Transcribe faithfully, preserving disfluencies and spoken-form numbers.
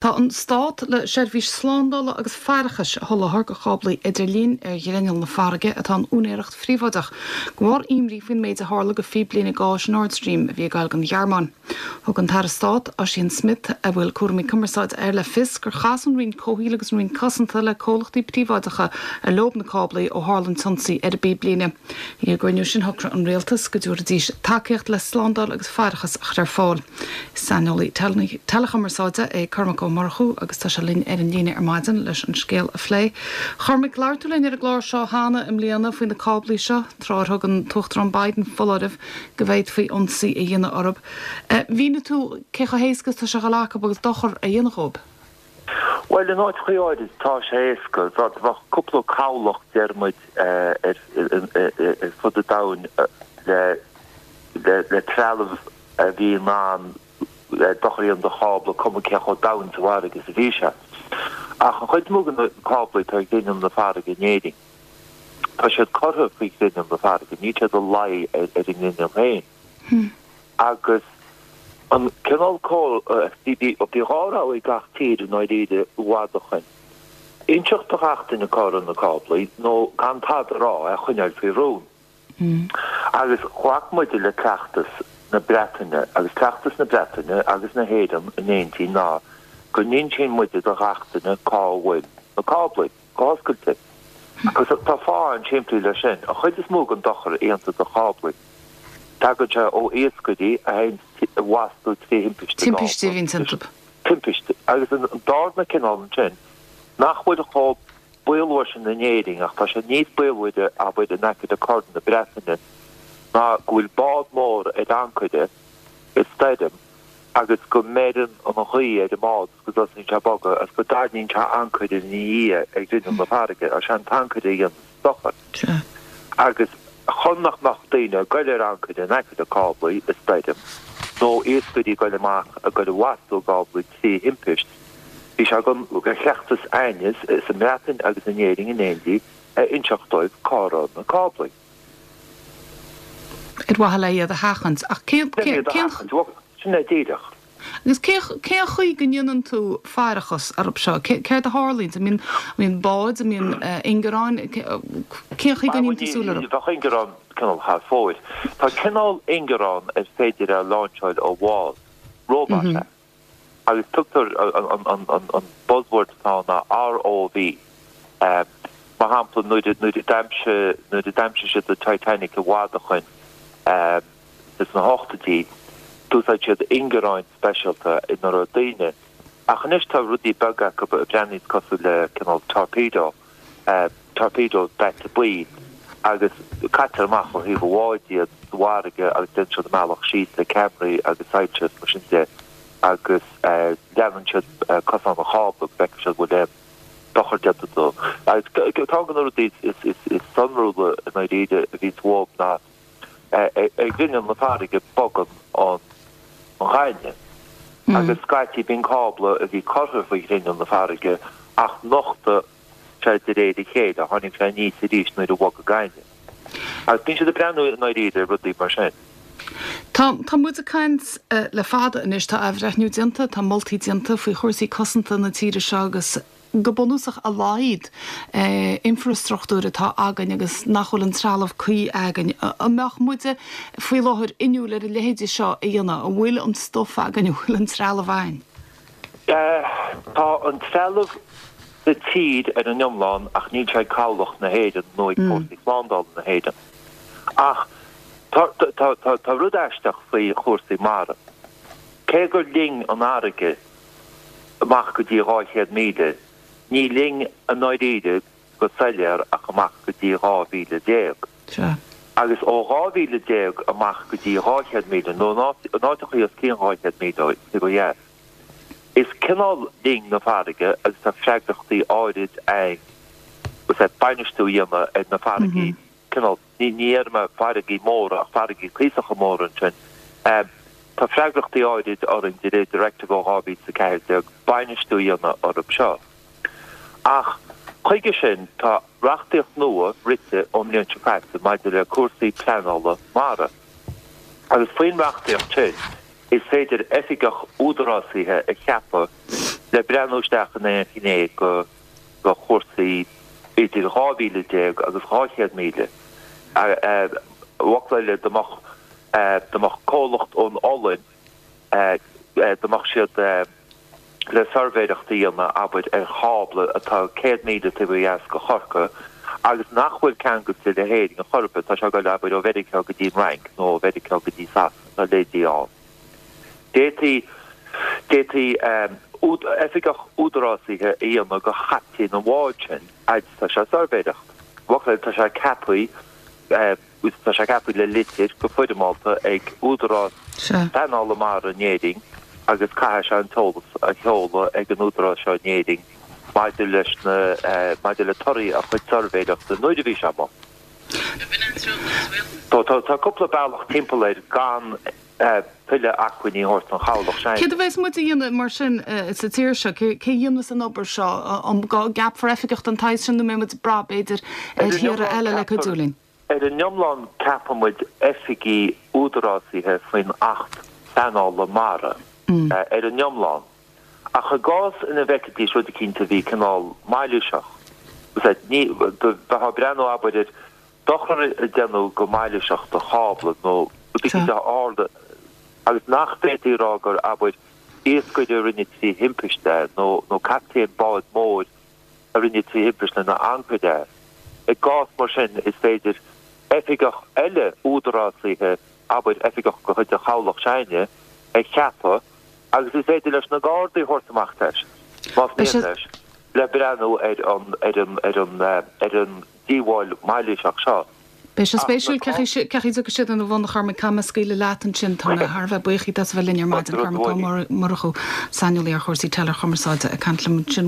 Tá an stát le seirbhís slándála agus faireachais a sholáthar do cháblaí idirlín ar ghrinneall na farraige atá in úinéireacht phríobháideach, de bharr imní faoin méid a tharla do phíblíne gáis Nord Stream a bhí ag gabháil don Ghearmáin. Thug an tAire Stáit, Ossian Smyth, a bhfuil cúraimí cumarsáide air le fios gur chas an Roinn Comhshaoil agus an Roinn Cosanta le comhlachtaí príobháideacha ar leo na cáblaí ó tharla an t-ionsaí ar an bpíblíne. Ag an gcruinniú sin shocraigh an rialtas go dtabharfaidís tacaíocht le slándáil agus faireachas a chur ar fáil. Saineolaí teileachumarsáide é Cormac Ó Murchú agus tá sé linn ar an líne ar maidin leis an scéal a phlé. Cormac labhair tú linn ar an gclár seo cheana i mbliana faoi na cáblaí seo, tráth ar thug an tUachtarán Biden foláireamh go bhféadfaí ionsaí a dhéanamh orthu. Mhínigh tú cé chomh héasca is atá sé a dhul acu agus dochar a dhéanamh dhóibh. Bhuel, in áiteacha áirid tá sé éasca. Bheadh cúpla cabhlach, deir muid, ar fud an domhain le trealamh a bhí in ann dochar a dhéanamh do chábla, cuma cé chomh domhain sa bhfarraige is a bhí sé. Ach an chuid is mó de na cáblaí atá ag grinneall na farraige in Éirinn, tá siad curtha faoi ghrinneall na farraige, níl siad ag luí ar an ngrinneall féin. Agus an cineál bhí dhá rogha ag gach tír i ndáiríre i bhfad ó shoin, inseacht do ghach duine cá raibh na cáblaí nó gan tada a rá, é a choinneáil faoi rún. Agus ghlac muide le cleachtas na Breataine, agus cleachtas na Breataine agus na hÉireann in éindí ná go n-insíonn muide do ghach duine cá bhfuil na cáblaí, go hoscailte. Agus tá fáth an-simplí leis sin, an chuid is mó den dochar a dhéantar do cháblaí, tagann sé ó iascairí a théann i bhfastú trí thimpiste Timpiste a bhíonn iontu. Timpiste. Agus an darna cineál ansin, nach bhfuil chomh baolmhar sin in Éirinn, ach tá sé níos baolmhaire, abair, in aice le Corn na Breataine, ná go bhfuil bád mór ar ancaire i stoirm agus go mbeireann an ghaoth ar an mbád is go dtosaíonn sé ag bogadh agus go dtarraingíonn sé ancaire ina dhiaidh ag grinneall na farraige agus sé an t-ancaire a dhéanann dochar. Agus chun nach mbeadh daoine ag goil ar ancaire in aice le cáblaí i stoirm nó iascairí ag goil amach ag goil i bhfastú i gcáblaí trí thimpist, Bhí sé de chleachtas againne sa mBreatain agus in Éirinn in éindí a inseacht dóibh cá raibh na cáblaí. Ar mhaithe le iad a sheachaint. Ach cén, Le iad a sheachaint, bhuel, sin é díreach. Agus cén, cén chaoi go ndéanann tú faireachas orthu seo? Céard a tharlaíonn? An mbíonn, an mbíonn báid, an mbíonn ingearáin? Cén chaoi go ndéanann tú súil orthu? Bheadh ingearán cineál thar fóir. Tá cineál ingearán ar féidir é a láinseáil ó bhád, róbat é. Agus tugtar an buzzword atá ann ná ROV. Mar shampla, nuair a d'aimsigh siad an Titanic i bhfad ó shoin, sna hochtóidí, d'úsáid siad ingearáin speisialta ina raibh daoine. Ach anois tá rudaí beaga acu a bhreathnaíonns cosúil le cineál torpedo. torpedo daite buí agus caitear amach ó thaobh an bháid iad sa bhfarraige agus déanann siad a mbealach síos le ceamaraí agus soilse is mar sin de agus leanann siad cosán an chábla go bhfeicfidh siad an bhfuil aon dochar déanta dó. Agus ceann de na rudaí is sonrúla i ndáiríre a bhíonns uathu ná ar ghrinneall na farraige bogann an ghainimh agus scaití bíonn cábla a bhí curtha faoi ghrinneall na farraige ach nochtadh sé de réir a chéile, tháinig sé aníos arís nuair a bhog an gaineamh. Agus bíonn siad ag breathnú i ndáiríre ar rudaí mar sin. Tá, tá muid ag caint le fada anois, tá athbhreithniú déanta, tá moltaí déanta faoi chúrsaí cosanta na tíre seo agus go bunúsach a laghad infreastruchtúir atá againn agus nach bhfuil an trealamh cuí againn. An mbeadh muide faoi láthair inniúil ar a leithéidí seo a dhéanamh? An bhfuil an stuif againn, an bhfuil an trealamh againn? Tá an trealamh sa tír ar an iomlán ach níl sé ag Cabhlach na hÉireann nó ag Fórsaí Slándála na hÉireann. Ach tá rud aisteach faoi chúrsaí mara. Cé gur linn an fharraige amach go dtí dhá chéad míle, ní linn i ndáiríre go soiléir ach amach go dtí dhá mhíle déag. Agus ó dhá mhíle déag amach go dtí dhá chéad míle, nó in áiteachaí os cionn dhá chéad míle ó dheas, Is cineál linn na farraige agus tá freagrachtaí áirid againn is ea bainistiú a dhéanamh ar na farraigí, cineál, ní déarfaidh mé farraigí móra ach farraigí cuíosacha móra ansin. Tá freagrachtaí áirid orainn de réir Directive ó dhá mhíle is a ceathair déag bainistiú a dhéanamh orthu seo. Ach chuige sin tá reachtaíocht nua rite ón mbliain seo caite maidir le cúrsaí pleanála mara. Agus faoin reachtaíocht sin, is féidir oifigeach údarásaithe a cheapadh le breathnú isteach in aon ghné de chúrsaí idir dhá mhíle déag agus dhá chéad míle. I bhfocail eile, dá mbeadh dá mbeadh comhlacht ón Ollainn, dá mbeadh siad le suirbhéireacht a dhéanamh, abair, ar chábla atá céad míle taobh ó dheas de Chorcaigh agus nach bhfuil ceangailte le hÉirinn ar chor ar bith, tá sé ag dul, abair, ó Mheiriceá go dtí an Fhrainc nó ó Mheiriceá go dtí Sasana, tá leithéidí ann. D'fhéadfaí, d'fhéadfaí oifigeach údarásaithe a dhéanamh de chaptaen an bháid sin, fhad is atá sé ag suirbhéireacht. I bhfocail eile, tá sé ceaptha, tá sé ceaptha le litir go foirmeálta ag Údarás Pleanála Mara in Éirinn agus caithfidh sé an t-eolas a sheoladh ag an údarás seo in Éirinn maidir leis na, maidir le torthaí a chuid suirbhéireachta nuair a bhí sé amuigh. Tá cúpla bealach timpeall air gan tuilleadh acmhainní a thabhairt don chabhlach s'againne. Céard a bheas muid a dhéanamh mar sin sa tír seo? Cé a dhéanfas an obair seo? An gceapfar oifigeach den tsaghas sin nó an mbeidh muid ag brath, b'fhéidir, ar thíortha eile le cuidiú linn? Ar an iomlán ceapann muid oifigí údarásaithe faoin Acht Pleanála Mara, ar an iomlán. Ach i gcás ina bhfeicfidís rud eicínt a bhí cineál mailíseach, ní, bheifeá ag breathnú, abair, ar dochar a déanadh go mailíseach do chábla nó rud eicínt a tharla agus nach bhféadfaí a rá gur, abair, iascaire a rinne trí thimpiste é nó nó captaen báid mhóir a rinne trí thimpiste lena ancaire é. I gcás mar sin is féidir oifigeach eile údarásaithe, abair, oifigeach de chuid an chabhlach s'againne, a cheapadh agus is féidir leis na Gardaí a thabhairt amach leis, más mian leis, le breathnú ar an ar an ar an ar an díobháil mhailíseach seo. Beidh sé spéisiúil cén chaoi a dtiocfaidh siad ina bhun, a Chormaic. Caithfidh mé scaoileadh leat ansin. Tá mé thar a bheith buíoch díot as a bheith linn ar maidin, Cormac Ó Murchú, saineolaí ar chúrsaí teileachumarsáide, ag caint liom ansin.